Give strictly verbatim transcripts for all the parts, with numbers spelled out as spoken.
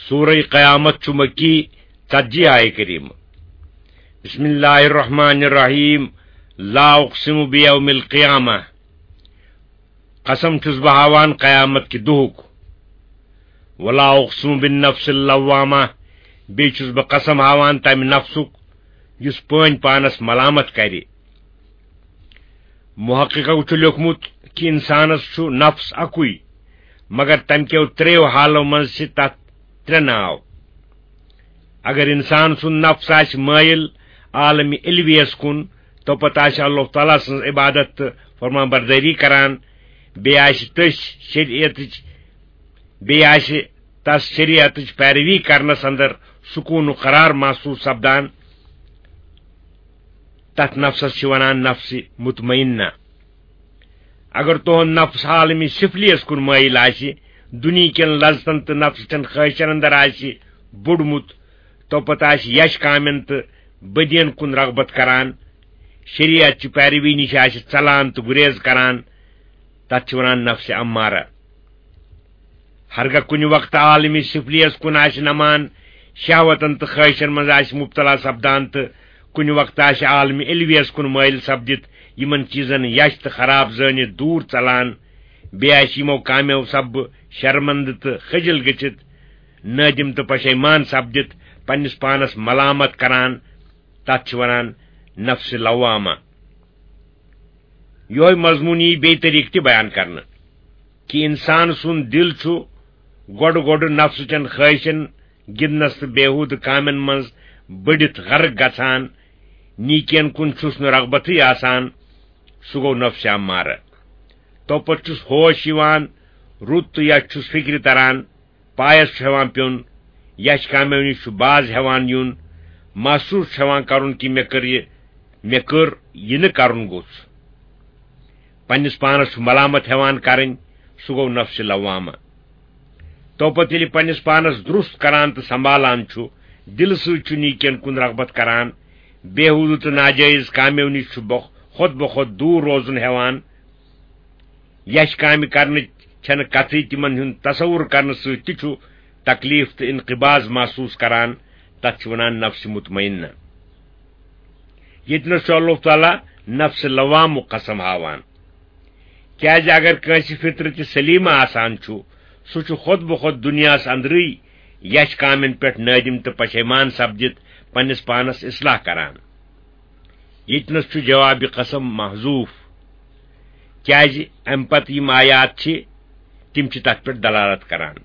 سورہ قیامت چھُ مکی، ژتجی آیہِ کریمہ۔ بسم اللہ الرحمن الرحیم۔ لا اقسم بیوم القیامہ۔ قسم چھُس بہٕ ہاوان قیامت کہِ دۄہُک۔ ولا اقسم بالنفس اللوامہ۔ بیٚیہِ چھُس بہٕ قسم ہاوان تمہِ نفسُک یُس پٲنۍ پانس ملامت کرِ۔ محققو چھُ لیوٚکھمُت کہِ انسانس چھُ نفس اکُے، مگر تمہِ کیو ترٛیٚیو حالو منٛز چھِ تتھ ترٛےٚ ناو۔ اگر انسان سُنٛد نفس آسہِ مٲیِل عالمِ علویس کُن، تو پتہٕ آسہِ اللہ تعالیٰ سٕنٛز عبادت تہٕ فرمان بردٲری کران، بیٚیہِ آسہِ تٔسۍ شریعتٕچ، بیٚیہِ آسہِ تس شریعتٕچ پیروی کرنس اندر سکوٗن و قرار محسوٗس سپدان، تتھ نفسس چھِ ونان نفسِ مطمئنہ۔ اگر تُہُنٛد نفس عالمِ سفلیس کُن مٲیِل آسہِ، دُنیہکٮ۪ن لذتن تہٕ نفسٕچٮ۪ن خٲہشن اندر آسہِ بوٚڑمُت، تو پتہٕ آسہِ یش کامٮ۪ن تہٕ بدین کُن رغبت کران، شریعت چہِ پیروی نِش آسہِ ژلان تہٕ گُریز کران، تتھ چھِ ونان نفسِ امارہ۔ ہرگاہ کُنہِ وقتہٕ عالمِ سفلیس کُن آسہِ نمان، شہوتن تہٕ خٲہشن منٛز آسہِ مبتلا سپدان تہٕ کُنہِ وقتہٕ آسہِ عالمِ علویس کُن مٲیِل سپدِتھ، یِمن چیٖزن یش تہٕ خراب زٲنِتھ دوٗر ژلان، بیٚیہِ آسہِ یِمو کامیو سببہٕ شرمندٕ تہٕ خجل گٔژھِتھ، نٲدِم تہٕ پشیمان سپدِتھ پننِس پانس ملامت کران، تتھ چھِ ونان نفسِ لوامہ۔ یہوے مضمون یی بیٚیہِ طریقہٕ تہِ بیان کرنہٕ کہِ انسان سُنٛد دل چھُ گۄڈٕ گۄڈٕ نفسٕچٮ۪ن خٲہشن، گِنٛدنس تہٕ بیہودٕ کامٮ۪ن منٛز بٔڑِتھ غرق گژھان، نیکین کُن چھُس نہٕ رغبتٕے آسان، سُہ گوٚو نفسِ امارہ۔ توپتہٕ چھُس ہوش یِوان، رُت تہٕ یش چھُس فکرِ تران، پایس چھُ ہٮ۪وان پیوٚن، یش کامیو نِش چھُ باز ہٮ۪وان یُن، محسوٗس چھُ ہٮ۪وان کرُن کہِ مےٚ کٔر یہِ، مےٚ کٔر یہِ نہٕ کرُن گوٚژھ۔ پننِس پانس چھُ ملامت ہٮ۪وان کرٕنۍ، سُہ گوٚو نفسِ لوامہ۔ توپتہٕ ییٚلہِ پننِس پانس درست کران تہٕ سنبھالان چھُ، دلہٕ سۭتۍ چھُ نیکین کُن رغبت کران، بیہودٕ تہٕ ناجٲیز کامیو نِش چھُ بخ-، خۄد بخۄد دوٗر روزُن ہٮ۪وان، یش کامہِ کرنٕچ چھنہٕ کتھٕے، تِمن ہُنٛد تصور کرنہٕ سۭتۍ تہِ چھُ تکلیف تہٕ انقباض محسوٗس کران، تتھ چھِ ونان نفسِ مطمئنہ۔ ییٚتہِ نَس چھُ اللہ تعالیٰ نفسِ لوامُک قسم ہاوان، کیازِ اگر کٲنٛسہِ فطرتِ سلیمہ آسان چھُ، سُہ چھُ خۄد بخۄد دُنیاہس اندرٕے یش کامٮ۪ن پٮ۪ٹھ نٲدِم تہٕ پشیمان سپدِتھ پننِس پانس اصلاح کران۔ ییٚتہِ نَس چھُ جوابِ قسم محذوف، کیازِ امہِ پتہٕ یِم آیات چھِ، تِم چھِ تتھ پٮ۪ٹھ دلالت کران۔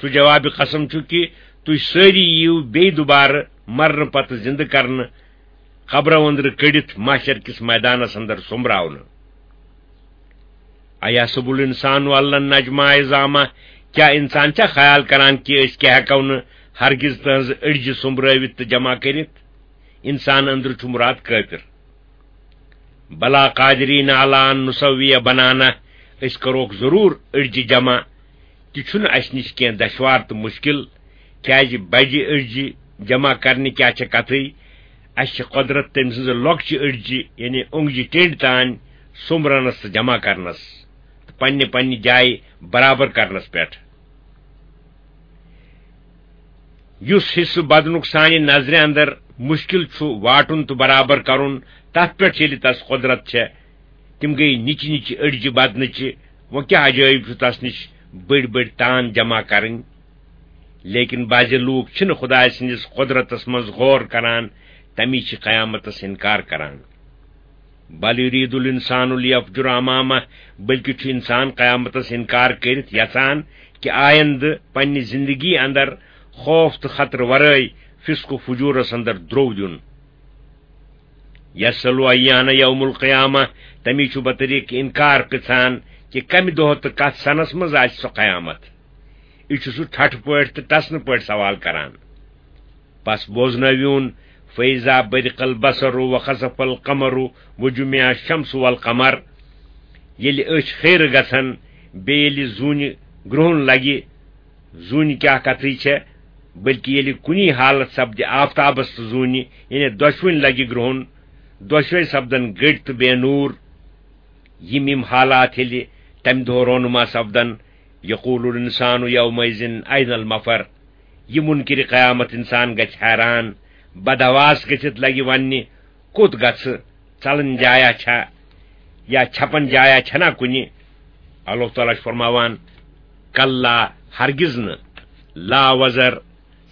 سُہ جوابِ قسم چھُ کہِ تُہۍ سٲری یِیِو بیٚیہِ دُبارٕ مرنہٕ پتہٕ زِندٕ کرنہٕ، قبرو أنٛدرٕ کٔڑِتھ محشر کِس میدانس اندر سوٚمبراونہٕ۔ ایحسب الانسان ان لن نجمع عظامہ، کیا انسان چھا خیال کران کہِ أسۍ کیا ہٮ۪کو نہٕ ہرگز تہنٛز أڈجہِ سوٚمبرٲوِتھ تہٕ جمع کٔرِتھ؟ انسان أنٛدرٕ چھُ مراد کٲفر۔ بلا قادرین علی ان نسوی بنانہ، أسۍ کروکھ ضروٗر أڈجہِ جمع، تہِ چھُنہٕ اَسہِ نِش کینٛہہ دشوار تہٕ مُشکِل، کیازِ بجہِ أڈجہِ جمع کرنہِ کیٛاہ چھےٚ کتھٕے؟ اَسہِ چھِ قۄدرت تٔمۍ سٕنٛزٕ لۄکچہِ أڈجہِ، یعنی اوٚنٛگجہِ ٹینڈ تام سوٚمبرنس تہٕ جمع کرنس تہٕ پننہِ پننہِ جایہِ برابر کرنس پٮ۪ٹھ۔ یُس حصہٕ بدنُک سانہِ نظرِ اندر مُشکِل چھُ واٹُن تہٕ برابر کرُن، تتھ پٮ۪ٹھ ییٚلہِ تس قۄدرت چھےٚ، تِم گٔیہِ نِچہِ نِچہِ أڈجہِ بدنٕچہِ، وۄنۍ کیٛاہ عجٲیب چھُ تس نِش بٔڑۍ بٔڑۍ تان جمع کرٕنۍ؟ لیکن بعضِ لوٗکھ چھِنہٕ خدایہِ سٕنٛدِس قۄدرتس منٛز غور کران، تمی چھِ قیامتس انکار کران۔ بل یرید الانسان لیفجر امامہ، بلکہ چھُ انسان قیامتس انکار کٔرِتھ یژھان کہِ آیندٕ پننہِ زندگی اندر خوف تہٕ خطرٕ ورٲے فسق و فجورس اندر درو دیُن۔ یسأل ایان یوم القیامہ، تمی چھُ بطریق انکار پرژھان کہِ کمہِ دۄہ تہٕ کتھ سنس منٛز آسہِ سۄ قیامت۔ یہِ چھُ سُہ ٹھٹھٕ پٲٹھۍ تہٕ ٹسنہٕ پٲٹھۍ سوال کران۔ پس بوزنٲوِوُن، فیضا برق البصر و خسف القمر و جمع الشمس والقمر، ییٚلہِ أچھ خیرٕ گژھن، بیٚیہِ ییٚلہِ زوٗنہِ گرٛہُن لگہِ، زوٗنہِ کیٛاہ کتھٕے چھےٚ، بلکہِ ییٚلہِ کُنی حالت سپدِ آفتابس تہٕ زوٗنہِ، یعنی دۄشوٕنۍ لگہِ گرٛہُن، دۄشوے سپدن گٔٹۍ تہٕ بے نوٗر۔ یِم یِم حالات ییٚلہِ تمہِ دۄہ رونما سپدن، یقول الانسان یومئذ این المفر، یہِ منکر قیامت انسان گژھِ حیران، بدحواس گٔژھِتھ لگہِ وننہِ، کوٚت گژھٕ؟ ژلن جایا چھا یا چھپن جایا چھنا کُنہِ؟ اللہ تعالیٰ چھُ فرماوان، کلا، ہرگز نہٕ، لا وزر،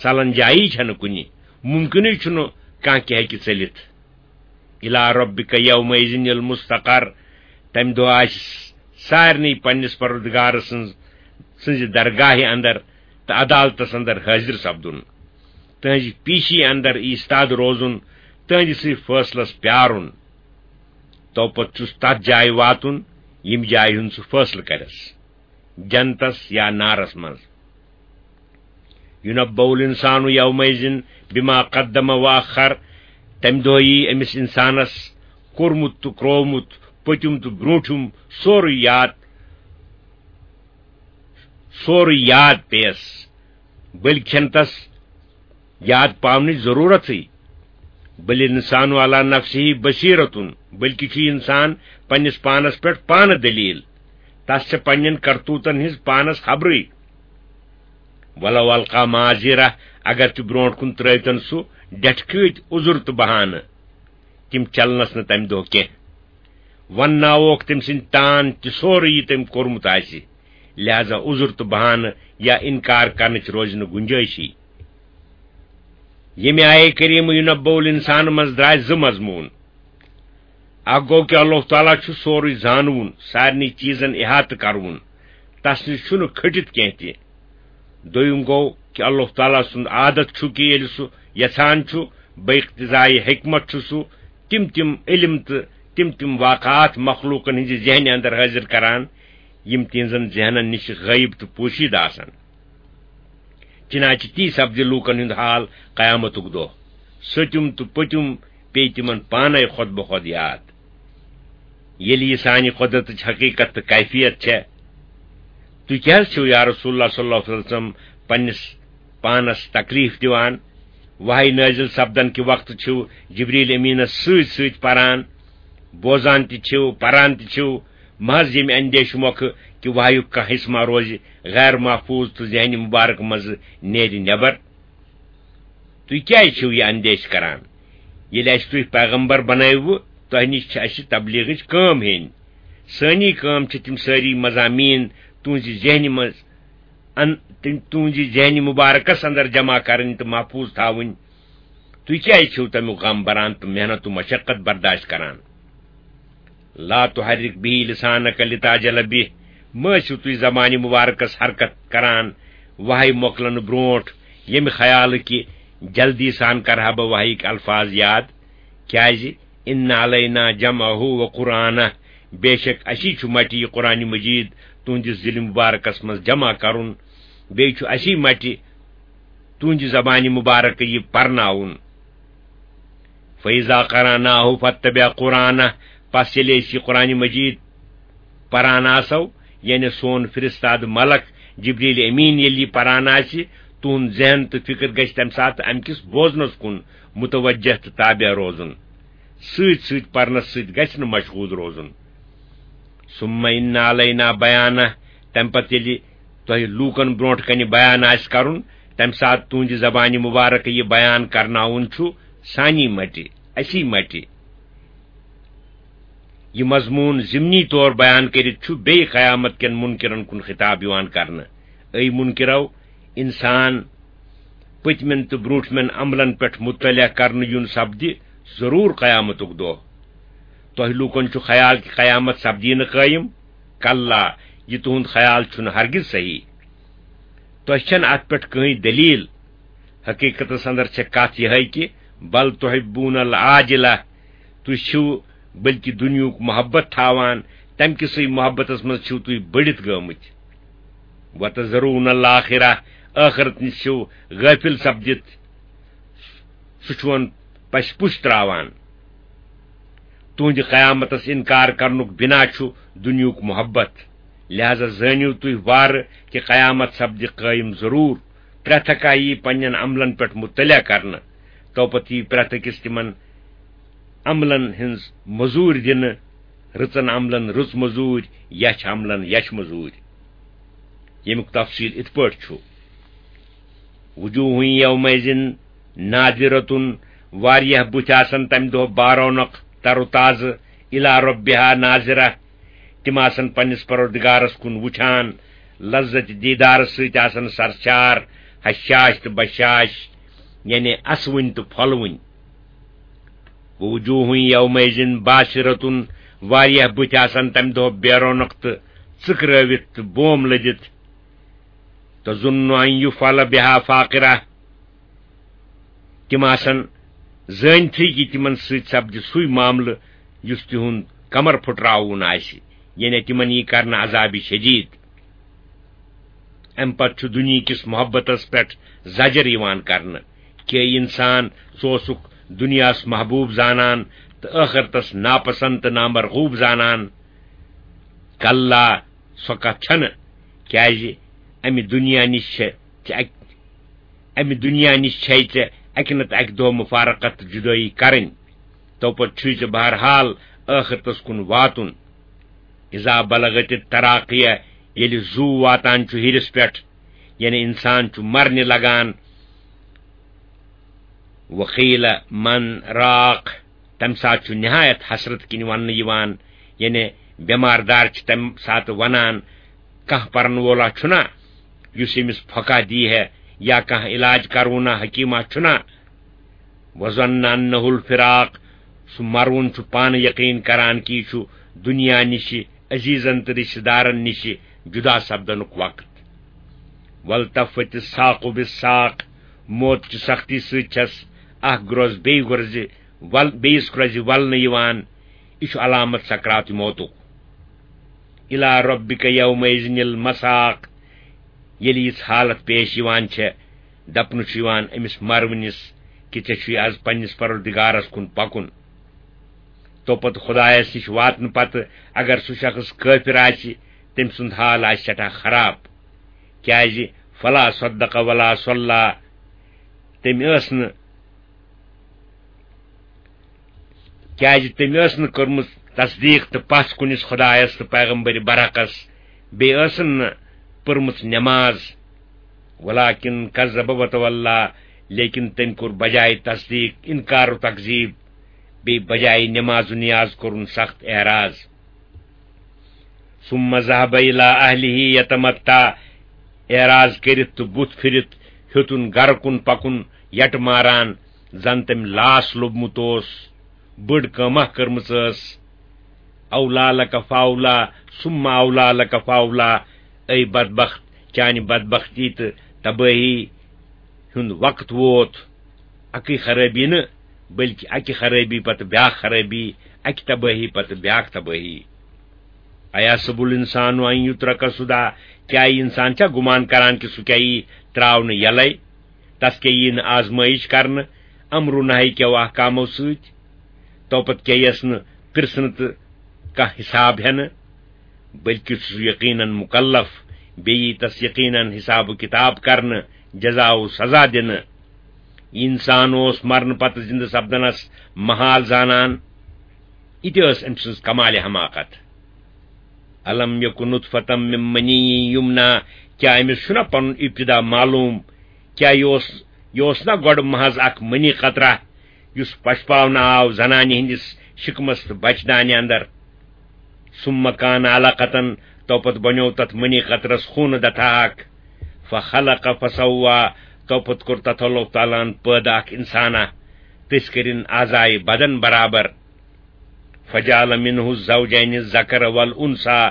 ژلن جایی چھنہٕ کُنہِ، ممکنٕے چھُنہٕ کانٛہہ کینٛہہ ہیٚکہِ ژٔلِتھ۔ الی ربک یومئذ المستقر، تمہِ دۄہ آسہِ سارنٕے پننِس پروردگار سٕنٛز، سٕنٛزِ درگاہہِ اندر تہٕ عدالتس اندر حٲضِر سپدُن، تہنٛزِ پیشی اندر ایستاد روزُن، تہنٛدِسٕے فٲصلس پیارُن۔ تو پتہٕ چھُس تتھ جایہِ واتُن، ییٚمہِ جایہِ ہُنٛد سُہ فٲصلہٕ کرس، جنتس یا نارس منٛز۔ یُنبَّئُ الْإِنسانُ یَوْمَئِذٍ بِمَا قَدَّمَ وَأَخَّرَ، تمہِ دۄہ یی أمِس انسانس کوٚرمُت تہٕ کرٛوومُت، پٔتِم تہٕ برٛونٛٹھِم، سورُے یاد، سورُے یاد پیٚیس، بٔلۍ چھَنہٕ تس یاد پاونٕچ ضروٗرتٕے۔ بل الانسان علی نفسہ بصیرۃ، بلکہِ چھُ انسان پننِس پانس پٮ۪ٹھ پانہٕ دلیل، تس چھےٚ پننٮ۪ن کرتوٗتن ہٕنٛز پانس خبرٕے۔ ولو القی معذرہ، اگر تہِ برونٛٹھ کُن ترٲوتن سُہ ڈٹھکٲتۍ عذر تہٕ بہانہٕ، تِم چلنس نہٕ تمہِ دۄہ کینٛہہ۔ ونناووکھ تٔمۍ سٕنٛدۍ تان تہِ سورُے یہِ تٔمۍ کوٚرمُت آسہِ، لہذا عذر تہٕ بہانہٕ یا انکار کرنٕچ روزِ نہٕ گنجٲیشی۔ ییٚمہِ آیے کریمہ یُنبَّئُ الانسان منٛز درٛاے زٕ مضموٗن۔ اکھ گوٚو کہِ اللہ تعالیٰ چھُ سورُے زانوُن، سارنٕے چیٖزن احاطہٕ کروُن، تس نِش چھُنہٕ کھٔٹِتھ کینٛہہ تہِ۔ دوٚیُم گوٚو کہِ اللہ تعالیٰ سُنٛد عادت چھُ کہِ ییٚلہِ سُہ یژھان چھُ، بے اقتضایہِ حکمت چھُ سُہ، تِم تِم علم تہٕ تِم تِم واقعات مخلوقن ہٕنٛزِ ذہنہِ اندر حٲضِر کران، یِم تِہنٛزن ذہنن نِش غٲیب تہٕ پوشیدٕ آسن۔ چنانچہ تی سپدِ لوٗکن ہُنٛد حال قیامتُک دۄہ۔ سٔتِم تہٕ پٔتِم پیٚیہِ تِمن پانے خۄد بخۄد یاد۔ ییٚلہِ یہِ سانہِ قۄدرتٕچ حقیٖقت تہٕ کیفیت چھےٚ، تُہۍ کیٛازِ چھِو یا رسول اللہ صلی اللہ علیہ وسلم پننِس پانس تکلیف دِوان؟ وحی نٲزِل سپدن کہِ وقتہٕ چھِو جبریل امیٖنس سۭتۍ سۭتۍ پران، بوزان تہِ چھِو، پران تہِ چھِو، محض ییٚمہِ اندیشہٕ مۄکھٕ کہِ وحیُک کانٛہہ حصہٕ ما روزِ غیر محفوظ تہٕ ذہنِ مبارک منٛزٕ نیرِ نٮ۪بر۔ تُہۍ کیٛازِ چھِو یہِ اندیشہٕ کران؟ ییٚلہِ اَسہِ تُہۍ پیغمبر بنٲوٕ، تۄہہِ نِش چھِ اَسہِ تبلیغٕچ کٲم ہیٚنۍ۔ سٲنی کٲم چھِ تِم سٲری مضامین تُہنٛزِ ذہنہِ منٛز ان-، تِم تُہنٛزِ ذہنہِ مبارکس اندر جمع کرٕنۍ تہٕ محفوظ تھاوٕنۍ۔ تُہۍ کیٛازِ چھِو تمیُک غم بران تہٕ محنت و مشقت برداشت کران؟ لا تحرک به لسانک لتعجل به، مہ ٲسِو تُہۍ زبانہِ مبارکس حرکت کران وحی مۄکلنہٕ برونٛٹھ، ییٚمہِ خیالہٕ کہِ جلدی سان کرٕ ہا بہٕ وحیِک الفاظ یاد۔ کیٛازِ؟ ان علینا جمعہ و قرآنہ، بے شک اسی چھُ مٹہِ یہِ قرآن مجید تُہنٛدِس دِلہِ مبارکس منٛز جمع کرُن، بیٚیہِ چھُ اسی مٹہِ تُہنٛدِ زبانہِ مبارکہٕ یہِ پرناوُن۔ فَإِذَا قَرَأْنَاهُ فَاتَّبِعْ قُرْآنَهُ، پس ییٚلہِ أسۍ یہِ قرآن مجید پران آسو، یعنی سون فرستاد ملک جبریل امین ییٚلہِ یہِ پران آسہِ، تُہُنٛد ذہن تہٕ فکر گژھِ تمہِ ساتہٕ امہِ کِس بوزنس کُن متوجہ تہٕ تابع روزُن۔ سۭتۍ سۭتۍ پرنس سۭتۍ گژھِ نہٕ مشغول روزُن۔ ثُمَّ إِنَّ عَلَيْنَا بَيَانَهُ، تمہِ پتہٕ ییٚلہِ تۄہہِ لوٗکن برونٛٹھ کنہِ بیان آسہِ کرُن، تمہِ ساتہٕ تُہنٛدِ زبانہِ مبارکہٕ یہِ بیان کرناوُن چھُ سانی مٹہِ، اسی مٹہِ۔ یہِ مضموٗن ضمنی طور بیان کٔرِتھ چھُ بیٚیہِ قیامت کٮ۪ن منکرن کُن خطاب یِوان کرنہٕ۔ اے منکرو، انسان پٔتمٮ۪ن تہٕ برونٛٹھمٮ۪ن عملن پٮ۪ٹھ مطلع کرنہٕ یُن سپدِ ضروٗر قیامتُک دۄہ۔ تۄہہِ لوٗکن چھُ خیال کہِ قیامت سپدی نہٕ قٲیِم؟ کلا، یہِ تُہُنٛد خیال چھُنہٕ ہرگز صحیح۔ تۄہہِ چھَنہٕ اَتھ پٮ۪ٹھ کٕہٕنۍ دٔلیٖل۔ حقیٖقتس اندر چھےٚ کتھ یِہے کہِ بل تحبون العاجلہ، تُہۍ چھِو بلکہِ دُنیہُک محبت تھاوان، تمہِ کِسٕے محبتس منٛز چھِو تُہۍ بٔڑِتھ گٲمٕتۍ۔ وتذرون الآخرہ، ٲخرت نِش چھِو غٲفِل سپدِتھ، سُہ چھُون پسہِ پُش تراوان۔ تُہنٛدِ قیامتس انکار کرنُک بنا چھُ دُنیہُک محبت، لہذا زٲنِو تُہۍ وارٕ کہِ قیامت سپدِ قٲیِم ضروٗر۔ پرٛٮ۪تھ اکھ یی پننٮ۪ن عملن پٮ۪ٹھ مطلع کرنہٕ، توپتہٕ یی پرٛٮ۪تھ أکِس تِمن عملن ہٕنٛز مٔزوٗرۍ دِنہٕ، رٕژن عملن رٕژ مٔزوٗرۍ، یچھ عملن یچھ مٔزوٗرۍ۔ ییٚمیُک تفصیل اِتھ پٲٹھۍ چھُ۔ وجوہ یومئذ ناظرۃ، واریاہ بُتھۍ آسن تمہِ دۄہ بارونق، تر و تازٕ، الی ربها ناظرہ، تِم آسن پننِس پروردگارس کُن وُچھان، لذت دیدارس سۭتۍ آسن سرشار، ہشاش تہٕ بشاش، یعنی اسوٕنۍ تہٕ پھۄلوٕنۍ۔ وجوہ یومئذ باسرۃ، واریاہ بُتھۍ آسن تمہِ دۄہ بے رونق تہٕ ژٕکرٲوِتھ تہٕ بوم لٔدِتھ۔ تظن ان یفعل بها فاقرہ، تِم آسن زٲنتھٕے کہِ تِمن سۭتۍ سپدِ سُے معاملہٕ یُس تِہُنٛد کمر پھُٹراوُن آسہِ، یعنی تِمن یی کرنہٕ عذابِ شدید۔ امہِ پتہٕ چھُ دُنیہکِس محبتس پٮ۪ٹھ زجر یِوان کرنہٕ۔ کہِ اے انسان، ژٕ اوسُکھ دُنیاہس محبوب زانان تہٕ ٲخرتس ناپسند تہٕ نامرغوب زانان۔ کلا، سۄ کتھ چھنہٕ، کیازِ امہِ دُنیا نِش چھِ، چھِ اکہِ، امہِ دُنیا نِش چھے ژےٚ اکہِ نتہٕ اکہِ دۄہ مفارقت تہٕ جدٲیی کرٕنۍ۔ تو پتہٕ چھُے ژےٚ بہرحال ٲخرتس کُن واتُن۔ اذا بلغت التراقی، ییٚلہِ زُو واتان چھُ ہیرِس پٮ۪ٹھ، یعنی انسان چھُ مرنہِ لگان۔ وقیل من راق، تمہِ ساتہٕ چھُ نہایت حسرت کِنۍ وننہٕ یِوان، یعنی بٮ۪مار دار چھِ تمہِ ساتہٕ ونان، کانٛہہ پرن وولا چھُنا یُس أمِس پھۄکہ دی ہے، یا کانٛہہ علاج کرونا حکیمہ چھُنا؟ وظن انہ الفراق، سُہ مرون چھُ پانہٕ یقین کران کہِ یہِ چھُ دُنیا نِشہِ، عزیزن تہٕ رشتہٕ دارن نِشہِ جدا سپدنُک وقت۔ والتفت الساق بالساق، موت چہِ سختی سۭتۍ چھس اکھ گرٛوز بیٚیہِ گرٛوزِ ول-، بیٚیِس گرٛوزِ ولنہٕ یِوان۔ یہِ چھُ علامت سکرات موتُک۔ الی ربک یومئذ المساق، ییٚلہِ یِژھ حالت پیش یِوان چھےٚ، دپنہٕ چھُ یِوان أمِس مرونِس کہِ ژےٚ چھُے از پننِس پروردگارس کُن پکُن۔ تو پتہٕ خدایس نِش واتنہٕ پتہٕ اگر سُہ شخص کٲفِر آسہِ، تٔمۍ سُنٛد حال آسہِ سٮ۪ٹھاہ خراب۔ کیازِ؟ فلا صدق ولا صلی، تٔمۍ ٲس نہٕ، کیازِ تٔمۍ ٲس نہٕ کٔرمٕژ تصدیق تہٕ پژھ کُنِس خدایس تہٕ پیغمبر برحقس، بیٚیہِ ٲسن نہٕ پٔرمٕژ نماز۔ ولکن کذب وتولی، لیکن تٔمۍ کوٚر بجایہِ تصدیق انکار و تکذیب، بیٚیہِ بجایہِ نماز و نیاز کوٚرُن سخت اعراض۔ ثم ذهب الى اهله يتمطى، اعراض کٔرِتھ تہٕ بُتھ پھِرِتھ ہیوٚتُن گرٕ کُن پکُن، یٹہٕ ماران، زن تٔمۍ لاس لوٚبمُت اوس، بٔڑ کٲمہ کٔرمٕژ ٲس۔ اولا لک فاولا، ثم اولا لک فاولا، اے بدبخت، چانہِ بدبختی تہٕ تبٲہی ہُنٛد وقت ووت۔ اکٕے خرٲبی نہٕ، بلکہِ اکہِ خرٲبی پتہٕ بیاکھ خرٲبی، اکہِ تبٲہی پتہٕ بیاکھ تبٲہی۔ ایحسب الانسان ان یترک سدی، کیٛاہ یہِ انسان چھا گُمان کران کہِ سُہ کیٛاہ یی تراونہٕ یلے؟ تس کیٛاہ یی نہٕ آزمٲیش کرنہٕ امرو نہی کیو احکامو سۭتۍ؟ تو پتہٕ کیٛاہ یس نہٕ پرژھنہٕ تہٕ کانٛہہ حساب ہٮ۪نہٕ؟ بلکہِ چھُ سُہ یقیناً مکلف، بیٚیہِ یی تس یقیناً حساب و کتاب کرنہٕ، جزا و سزا دِنہٕ۔ یہِ انسان اوس مرنہٕ پتہٕ زندٕ سپدنس محال زانان۔ یہِ تہِ ٲس أمۍ سٕنٛز کمال حماقت۔ الم یکن نطفة من منی یمنی، کیٛاہ أمِس چھُنہ پنُن ابتدا معلوم؟ کیٛاہ یہِ اوس، یہِ اوس نہ گۄڈٕ محض اکھ منی قطرہ، یُس پشپاونہٕ آو زنانہِ ہٕنٛدِس شکمس تہٕ بچہٕ دانہِ اندر؟ ثم کان علقة، تو پتہٕ بنیوو تتھ منی قطرس خوٗنہٕ دتھا اکھ۔ فخلق فسوی، تو پتہٕ کوٚر تتھ اللہ تعالیٰ ہن پٲدٕ اکھ انسانہ، تٔسۍ کٔرِن اعضائے بدن برابر۔ فجعل منه الزوجین الذکر والانثی،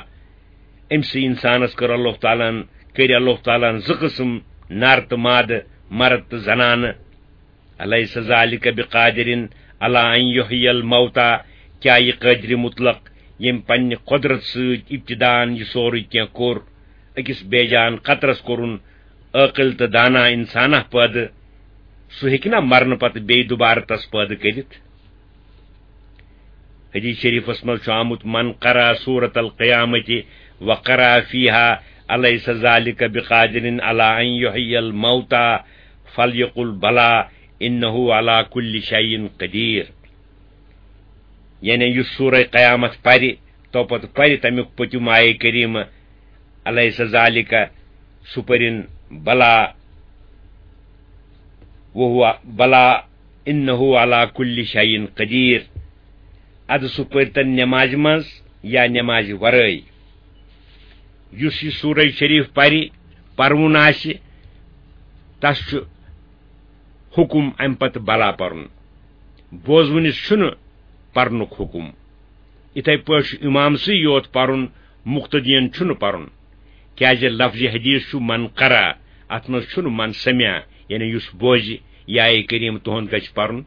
أمۍ سٕے انسانس کٔر اللہ تعالیٰ ہن، کٔرۍ اللہ تعالیٰ ہن زٕ قٕسم، نر تہٕ مادٕ، مرد تہٕ زنانہٕ۔ الیس ذلک بقادر علی ان یحیی الموتی، کیٛاہ یہِ قٲدرِ مطلق، ییٚمۍ پننہِ قۄدرت سۭتۍ ابتداً یہِ سورُے کینٛہہ کوٚر، أکِس بے جان قطرس کوٚرُن عٲقل تہٕ دانا انسانہ پٲدٕ، سُہ ہیٚکہِ نا مرنہٕ پتہٕ بیٚیہِ دوبارٕ تس پٲدٕ کٔرِتھ؟ حدیث شریفس منٛز چھُ آمُت، من قرأ سورة القیامة وقرأ فيها الیس ذلك بقادر على ان يحيي الموتى فليقل بلى انه على كل شيء قدير۔ یعنی یُس سورہ قیامت پرِ، تو پتہٕ پرِ تمیُک پٔتِم آیے کریمہ، الیس ذلك، سُہ پٔرِن بلا، وہو بلا انہ علی کل شیء قدیر۔ ادٕ سُہ پٔرتن نمازِ منٛز یا نمازِ ورٲے۔ یُس یہِ سورہ شریف پرِ، پرُن آسہِ، تس چھُ حکم امہِ پتہٕ بلا پرُن۔ بوزوٕنِس چھُنہٕ پرنُک حکم۔ یِتھے پٲٹھۍ چھُ امامسٕے یوت پرُن، مقتدین چھُنہٕ پرُن۔ کیازِ لفظِ حدیث چھُ من قرأ، اتھ منٛز چھُنہٕ من سمع، یعنی یُس بوزِ، یا اے کریم تُہُنٛد گژھِ پرُن،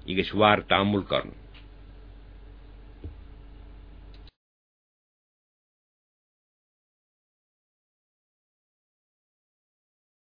یہِ گژھِ وارٕ تامل کرُن۔